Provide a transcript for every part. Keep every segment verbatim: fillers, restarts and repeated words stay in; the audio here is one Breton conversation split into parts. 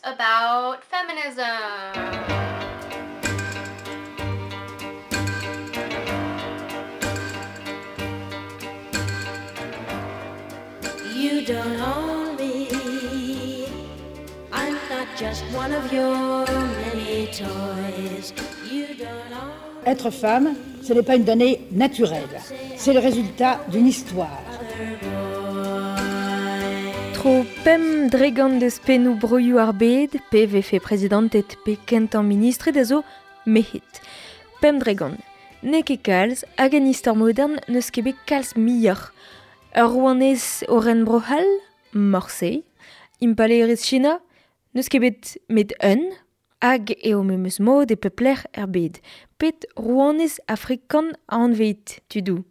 about feminism. You don't own me. I'm not just one of your many toys. You don't own Être femme, ce n'est pas une donnée naturelle. C'est le résultat d'une histoire. Tro pemp dregant deus pennoù broioù ar bed, pe vefe prezidanted pe kentañ ministred a zo merc'hed. Pemp dregant. N'eo ket kalz, hag en istor modern n'eus ket bet kalz muioc'h. Ur rouanez o ren Bro-C'hall, morse. Impalaerez China, n'eus ket bet met un, hag eo memes mod e pep lec'h er bed. Pet rouanez afrikan a anveit, tudoù.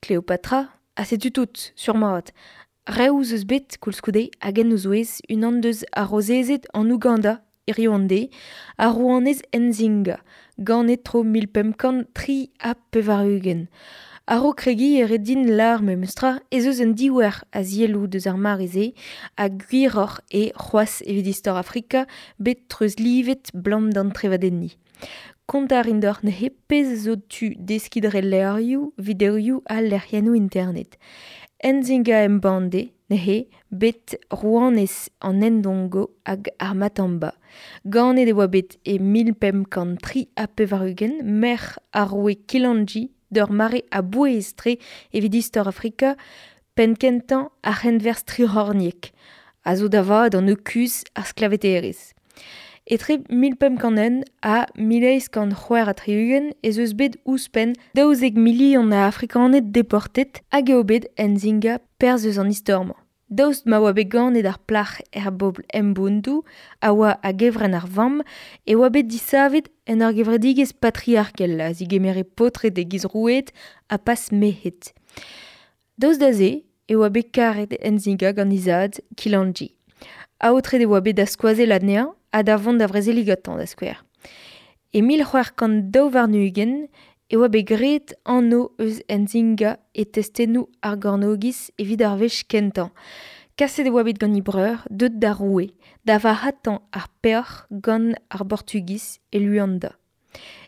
Kleopatra, ha setu tout, sur-mat. Reoù eus bet, koulskoude, hag en o zouez, unan deus ar rozezed an Ouganda, hiziv an deiz, ar rouanez Nzinga, ganet tro mil pemp kant tri ha pevar-ugent. A-raok kregiñ e ret din lâr memestra ez eus un diouer a zielloù deus ar mare-se ha gwiroc'h eo c'hoazh evit istor Afrika bet treuzlivet 'blam d'an trevadenniñ. Kontañ a rin deoc'h neuze pezh zo tu deskiñ dre levrioù, videoioù ha lec'hiennoù internet. Nzinga Mbande, neuze, bet rouanez an Ndongo hag ar Matamba. Ganet e oa bet e mil pemp kant tri ha pevar-ugent, merc'h ar roue Kilanji d'ur mare a-bouez-tre evit istor Afrika, penn-kentañ ar c'henwerzh tric'horniek, a zo da vat an eukuz ar sklaveterezh. Etre mil pemp kant un ha mil eizh kant c'hwec'h ha tri-ugent ez eus bet ouzhpenn daouzek milion a Afrikaned deportet hag eo bet Nzinga perzh eus an istor-mañ. Daoust ma oa bet ganet ar plac'h er bobl Mbundu a oa a-gevrenn ar vamm e oa bet disavet en ur gevredigezh patriarkel a zigemere paotred e-giz roueed ha pas merc'hed. Daoust da se e oa bet karet Nzinga gant he zad Kilanji. Aotret e oa bet da skoazell anezhañ ha da vont da vrezeliñ gantañ da skouer. E mil c'hwec'h kant daou warn-ugent e oa bet graet anv eus Nzinga e testennoù ar gornogiz evit ar wech kentañ. Kaset e oa bet gant he breur, deuet da roue, da varc'hatañ ar peoc'h gant ar Portugiz e Luanda.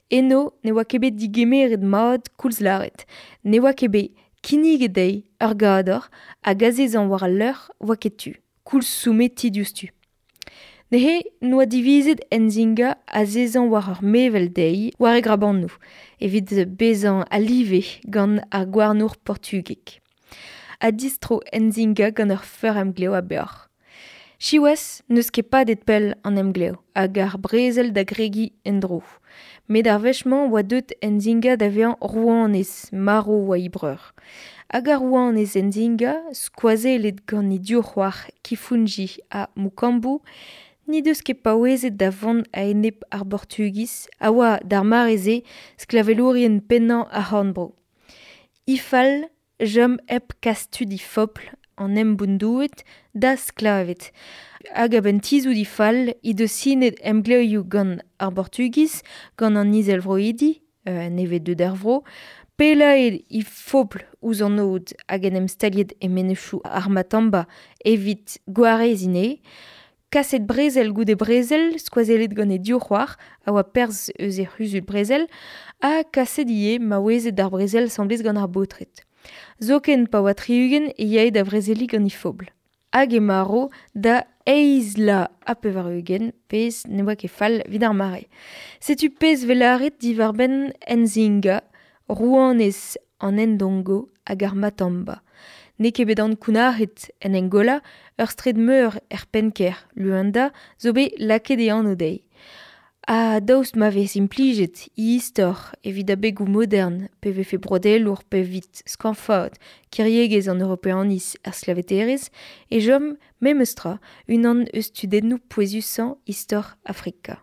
Eno ne oa ket bet digemeret mat koulz lâret. Ne oa ket bet kinniget dezhi ur gador hag azezañ war al leur oa ket tu, koulz soumetiñ diouzhtu. Neuze n'oa divizet Nzinga azezañ war ur mevel dezhi war e grabanoù, evit bezañ a-live gant ar gouarnour portugek. Ha distro Nzinga gant ur feur-emglev a-beoc'h. Siwazh n'eus ket padet pell an emglev hag ar brezel da gregiñ en-dro. Met ar wech-mañ oa deuet Nzinga da vezañ rouanez, marv oa he breur. Hag ar rouanez Nzinga, skoazellet gant he div c'hoar Kifunji ha Mukambu, n'he deus ket paouezet da vont a-enep ar Portugiz a oa d'ar mare-se sklavelourien pennañ ar c'horn-bro. He fal chom hep kas tud he fobl an Mbundoued da sklaved. Hag a-benn tizhout he fal he deus sinet emglevioù gant ar Portugiz, gant an Izelvroidi, euh, nevez deuet er vro, pellaet he fobl ouzh an aod hag en em staliet e menezioù ar Matamba evit gwareziñ anezhe, kaset brezel goude brezel, skoazellet gant he div c'hoar, a oa perzh eus he c'huzul brezel, ha kaset ivez maouezed d'ar brezel asambles gant ar baotred. Zoken pa oa tri-ugent e yae da vrezeliñ gant he fobl. Hag e marv da eizh vloaz ha pevar-ugent, pezh ne oa ket fall evit ar mare. Setu pezh 'vez lâret diwar-benn Nzinga, rouanez an Ndongo hag ar Matamba. N'eo ket bet ankounac'het en Angola, ur straed meur er penn-kêr, Luanda, zo bet lakaet e anv dezhi. Ha daoust ma vez implijet he istor evit abegoù modern, pe vefe broadelour pe evit skañvaat kiriegezh an Europeaniz ar sklaveterezh, e chom memestra unan eus tudennoù pouezusañ istor Afrika.